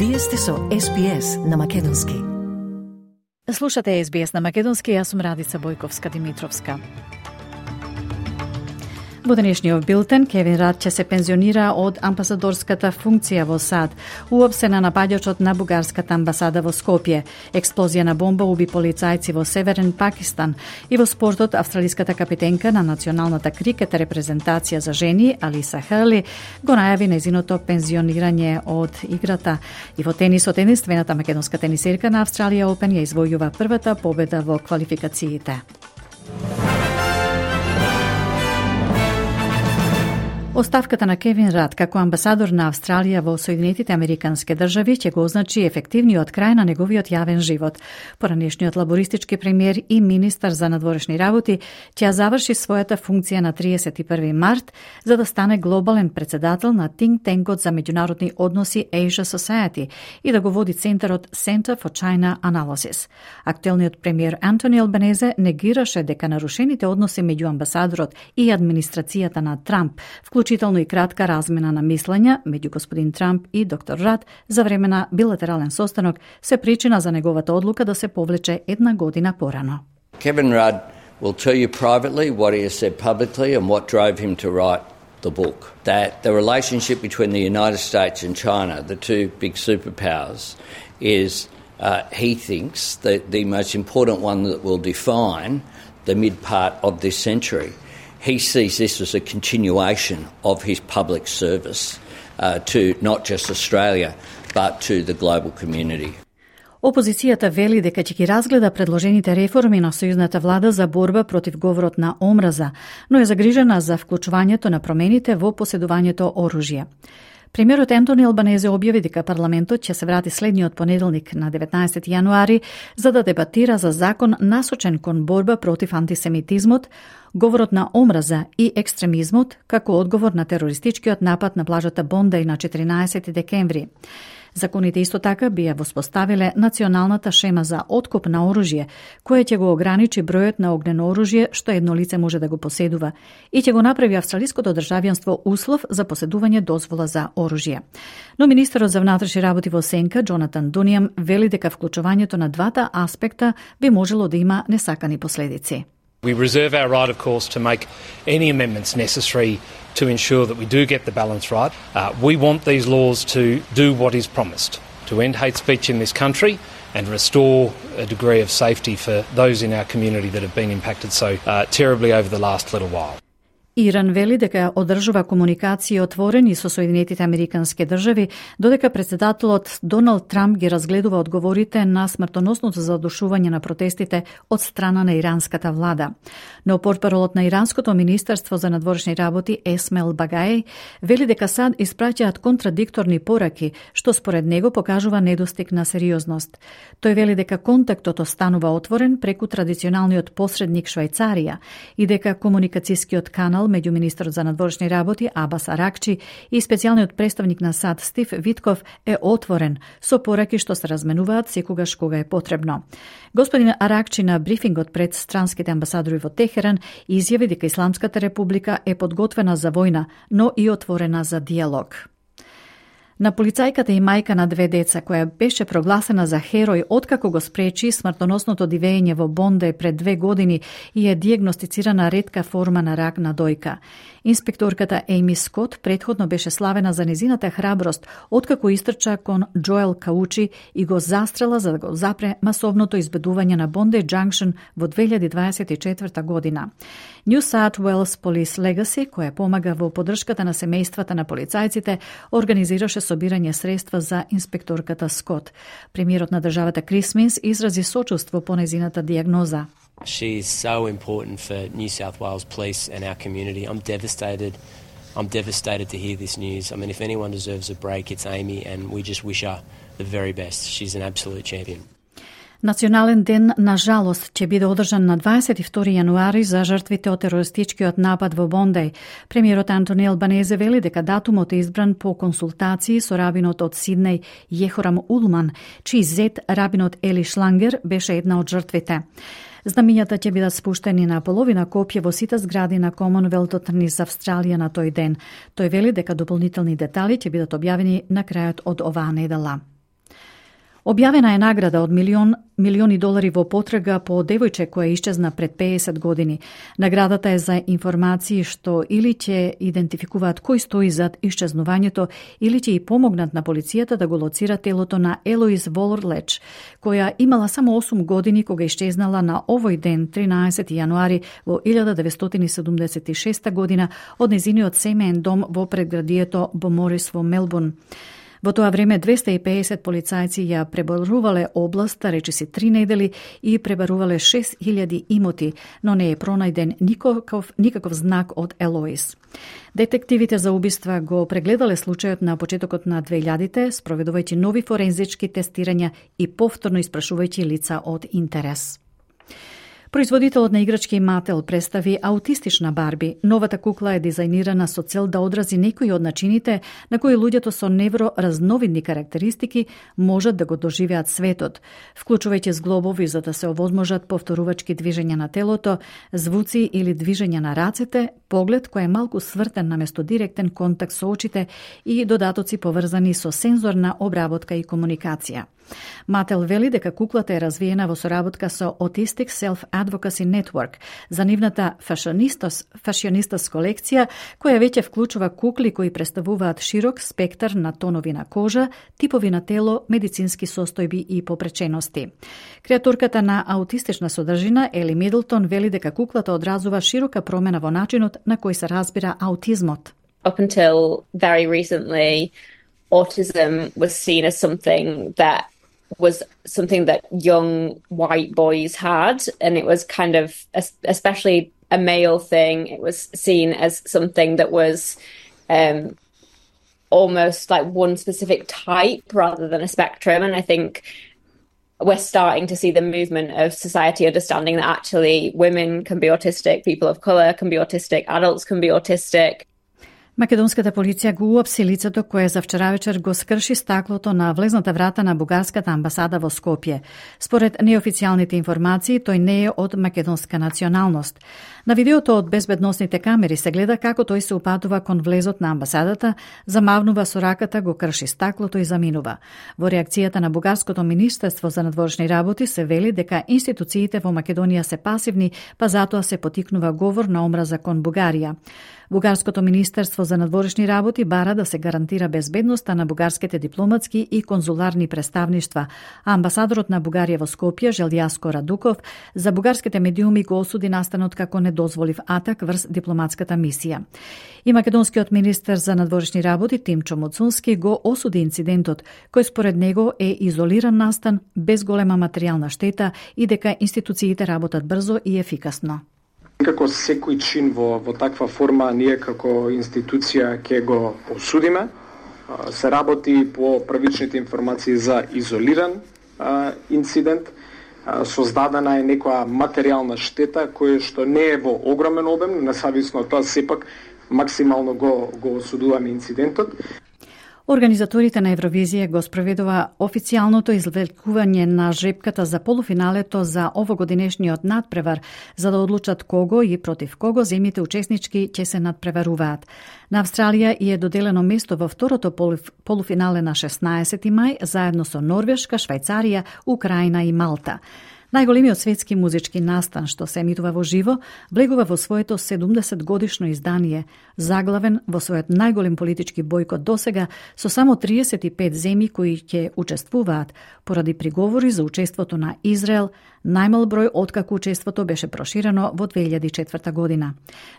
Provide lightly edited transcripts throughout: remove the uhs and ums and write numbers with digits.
Вие сте со SBS на Македонски. Слушате SBS на Македонски, јас сум Радица Бојковска-Димитровска. Во денешниот билтен, Кевин Рад ќе се пензионира од амбасадорската функција во САД, уопсена напаѓачот на бугарската амбасада во Скопје. Експлозија на бомба уби полицајци во Северен Пакистан. И во спортот, австралиската капитенка на националната крикет репрезентација за жени, Алиса Херли, го најави нејзиното пензионирање од играта. И во тенисот, единствената македонска тенисерка на Австралија Опен ја извојува првата победа во квалификациите. Оставката на Кевин Рад како амбасадор на Австралија во Соединетите Американски држави ќе го означи ефективниот крај на неговиот јавен живот. Поранешниот лабористички премиер и министар за надворешни работи ќе заврши својата функција на 31 март за да стане глобален председател на Think Tank-от за меѓународни односи Asia Society и да го води центарот Center for China Analysis. Актуелниот премиер Антони Албанезе негираше дека нарушените односи меѓу амбасадорот и администрацијата на Трамп, вклучително и кратка размена на мислења меѓу господин Трамп и доктор Рад за време на билатерален состанок, се причина за неговата одлука да се повлече една година порано. Kevin Rudd will tell you privately what he has said publicly and what drove him to write the book. That the relationship between the United States and China, the two big superpowers, is, he thinks, the most important one that will define the mid part of this century. He sees this as a continuation of his public service to not just Australia, but to the global community. Опозицијата вели дека ќе ги разгледа предложените реформи на сојузната влада за борба против говорот на омраза, но е загрижена за вклучувањето на промените во поседувањето оружје. Премиерот Антони Албанезе објави дека парламентот ќе се врати следниот понеделник на 19 јануари за да дебатира за закон насочен кон борба против антисемитизмот, говорот на омраза и екстремизмот како одговор на терористичкиот напад на плажата Бондеј на 14 декември. Законите исто така бија воспоставиле националната шема за откуп на оружје, која ќе го ограничи бројот на огнено оружје што едно лице може да го поседува и ќе го направи австралиското државјанство услов за поседување дозвола за оружје. Но министерот за внатрешни работи во сенка, Джонатан Дунијам, вели дека вклучувањето на двата аспекта би можело да има несакани последици. We reserve our right, of course, to make any amendments necessary to ensure that we do get the balance right. We want these laws to do what is promised, to end hate speech in this country and restore a degree of safety for those in our community that have been impacted so terribly over the last little while. Иран вели дека одржува комуникации отворени со Соединетите Американски држави, додека председателот Доналд Трамп ги разгледува одговорите на смртоносното задушување на протестите од страна на иранската влада. Но портпаролот на Иранското министерство за надворешни работи Есмел Багај вели дека САД испраќаат контрадикторни пораки, што според него покажува недостиг на сериозност. Тој вели дека контактот останува отворен преку традиционалниот посредник Швајцарија и дека комуникацијскиот канал меѓу министерот за надворешни работи Абас Аракчи и специјалниот представник на САД Стив Витков е отворен со пораки што се разменуваат секогаш кога е потребно. Господин Аракчи на брифингот пред странските амбасадори во Техеран изјави дека Исламската република е подготвена за војна, но и отворена за диалог. На полицајката и мајка на две деца, која беше прогласена за херој откако го спречи смртоносното дивење во Бондеј пред 2 години и е диагностицирана ретка форма на рак на дојка. Инспекторката Ейми Скот предходно беше славена за незината храброст откако истрча кон Джоел Каучи и го застрела за да го запре масовното избедување на Bondi Junction во 2024 година. New South Wales Police Legacy, која помага во поддршката на семејствата на полицајците, организираше собирање средства за инспекторката Скот. Премиерот на државата Крис Минс изрази сочувство по незината диагноза. She is so important for New South Wales Police and our community. I'm devastated. I'm devastated to hear this news. I mean, if anyone deserves a break, it's Amy, and we just wish her the very best. She's an absolute champion. Национален ден, на жалост, ќе биде одржан на 22 јануари за жртвите од терористичкиот напад во Бондеј. Премиерот Антони Албанезе вели дека датумот е избран по консултации со рабинот од Сиднеј Јехорам Улман, чиј зет рабинот Ели Шлангер беше една од жртвите. Знамињата ќе бидат спуштени на половина копија во сите згради на Комонвелтот низ Австралија на тој ден. Тој вели дека дополнителни детали ќе бидат објавени на крајот од оваа недела. Објавена е награда од милиони долари во потрага по девојче која исчезна пред 50 години. Наградата е за информации што или ќе идентификуваат кој стои зад исчезнувањето или ќе и помогнат на полицијата да го лоцира телото на Елоиз Воллеч, која имала само 8 години кога исчезнала на овој ден, 13 јануари во 1976 година од незиниот семеен дом во предградието Боморис во Мелбурн. Во тоа време 250 полицајци ја пребарувале областа речиси 3 недели и пребарувале 6000 имоти, но не е пронајден никаков знак од Елоиз. Детективите за убиства го прегледале случајот на почетокот на 2000-те, спроведувајќи нови форензички тестирања и повторно испрашувајќи лица од интерес. Производителот на играчки Мател представи аутистична Барби. Новата кукла е дизајнирана со цел да одрази некои од начините на кои луѓето со невроразновидни карактеристики можат да го доживеат светот, вклучувајќи зглобови за да се овозможат повторувачки движења на телото, звуци или движења на рацете, поглед кој е малку свртен наместо директен контакт со очите и додатоци поврзани со сензорна обработка и комуникација. Мател вели дека куклата е развиена во соработка со Autistic Self-Advocacy Network за нивната фашионистас колекција, која веќе вклучува кукли кои представуваат широк спектар на тонови на кожа, типови на тело, медицински состојби и попречености. Креатурката на аутистична содржина Ели Мидлтон вели дека куклата одразува широка промена во начинот на кој се разбира аутизмот. Up until very recently, autism was seen as something that young white boys had, and it was kind of, especially a male thing, it was seen as something that was almost like one specific type rather than a spectrum. And I think we're starting to see the movement of society understanding that actually women can be autistic, people of colour can be autistic, adults can be autistic. Македонската полиција го уапси лицето кое за вчера вечер го скрши стаклото на влезната врата на бугарската амбасада во Скопје. Според неофицијалните информации, тој не е од македонска националност. На видеото од безбедносните камери се гледа како тој се упатува кон влезот на амбасадата, замавнува со раката, го крши стаклото и заминува. Во реакцијата на бугарското министерство за надворешни работи се вели дека институциите во Македонија се пасивни, па затоа се потикнува говор на омраза кон Бугарија. Бугарското министерство за надворешни работи бара да се гарантира безбедноста на бугарските дипломатски и конзуларни представништва, а амбасадорот на Бугарија во Скопје, Желјаско Радуков, за бугарските медиуми го осуди настанот како недозволив атак врз дипломатската мисија. И македонскиот министер за надворешни работи Тимчо Муцунски го осуди инцидентот, кој според него е изолиран настан без голема материјална штета и дека институциите работат брзо и ефикасно. Како секој чин во таква форма, ние како институција ќе го осудиме. Се работи по првичните информации за изолиран инцидент. Создадена е некоја материјална штета која што не е во огромен обем, независно од тоа сепак максимално го осудуваме инцидентот. Организаторите на Евровизија го спроведува официјалното извлекување на жребката за полуфиналето за овогодинешниот надпревар, за да одлучат кого и против кого земјите учеснички ќе се надпреваруваат. На Австралија е доделено место во второто полуфинале на 16 мај, заедно со Норвешка, Швајцарија, Украина и Малта. Најголемиот светски музички настан што се емитува во живо, влегува во своето 70 годишно издание, заглавен во својот најголем политички бојкот досега, со само 35 земји кои ќе учествуваат, поради приговори за учеството на Израел, најмал број откако учеството беше проширено во 2004 година.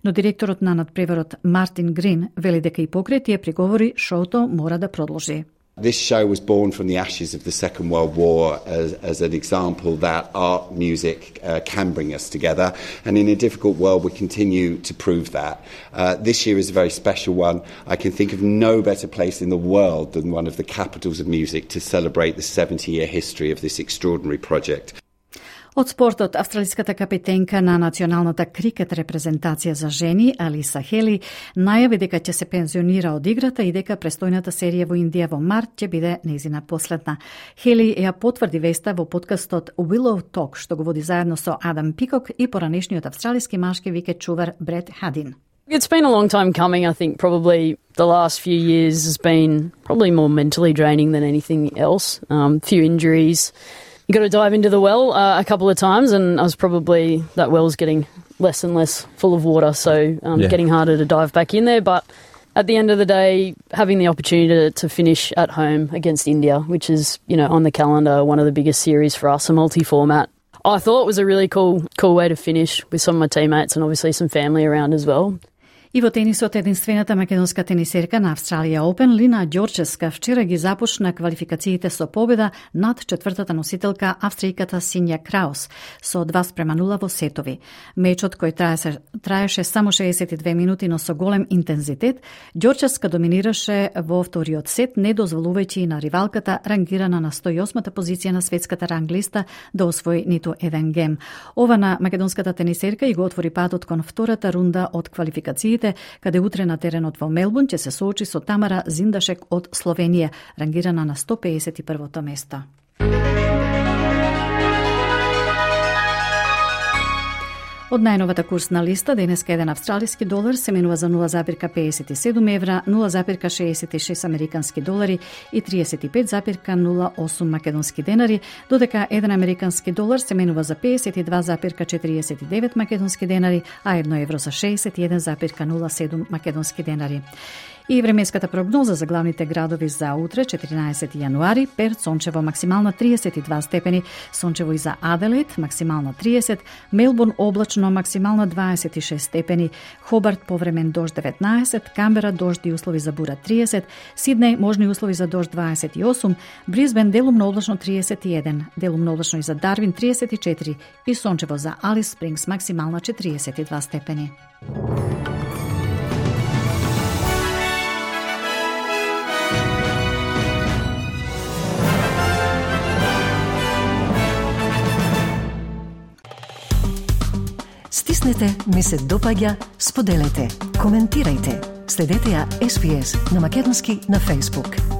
Но директорот на надпреварот Мартин Грин вели дека и покрај тие приговори шоуто мора да продолжи. This show was born from the ashes of the Second World War as an example that art, music can bring us together, and in a difficult world we continue to prove that. This year is a very special one. I can think of no better place in the world than one of the capitals of music to celebrate the 70-year history of this extraordinary project. Од спортот, австралиската капитенка на националната крикет репрезентација за жени, Алиса Хели, најави дека ќе се пензионира од играта и дека престојната серија во Индија во март ќе биде нејзина последна. Хели ја потврди веста во подкастот Willow Talk, што го води заедно со Адам Пикок и поранешниот австралиски машки викет чувар Брет Хадин. It's been a long time coming. I think probably the last few years has been probably more mentally draining than anything else. Few injuries. You got to dive into the well a couple of times, and that well's getting less and less full of water, so getting harder to dive back in there. But at the end of the day, having the opportunity to finish at home against India, which is, on the calendar, one of the biggest series for us, a multi-format, I thought it was a really cool way to finish with some of my teammates and obviously some family around as well. И во тенисот, единствената македонска тенисерка на Австралија Опен, Лина Ѓорчевска, вчера ги започна квалификациите со победа над четвртата носителка австријката Синја Краус со 2:0 во сетови. Мечот кој траеше само 62 минути, но со голем интензитет, Ѓорчевска доминираше во вториот сет, не дозволувајќи на ривалката рангирана на 108-та позиција на светската ранглиста да освои ниту еден гем. Ова на македонската тенисерка и го отвори патот кон втората рунда од квалификациите, каде утре на теренот во Мелбурн ќе се соочи со Тамара Зиндашек од Словенија, рангирана на 151-то место. Од најновата курсна листа, денеска еден австралиски долар се менува за 0,57 евра, 0,66 американски долари и 35,08 македонски денари, додека еден американски долар се менува за 52,49 македонски денари, а 1 евро за 61,07 македонски денари. И временската прогноза за главните градови за утре, 14 јануари: Перт сончево, максимална 32 степени, сончево и за Аделаид, максимална 30, Мелбурн облачно, максимална 26 степени, Хобарт повремен дожд 19, Камбера дожд и услови за бура 30, Сиднеј можни услови за дожд 28, Брисбен делумно облачно 31, делумно облачно и за Дарвин 34 и сончево за Алис Спрингс, максимална 42 степени. Стиснете, ми се допаѓа, споделете, коментирајте. Следете ја SPS на македонски на Facebook.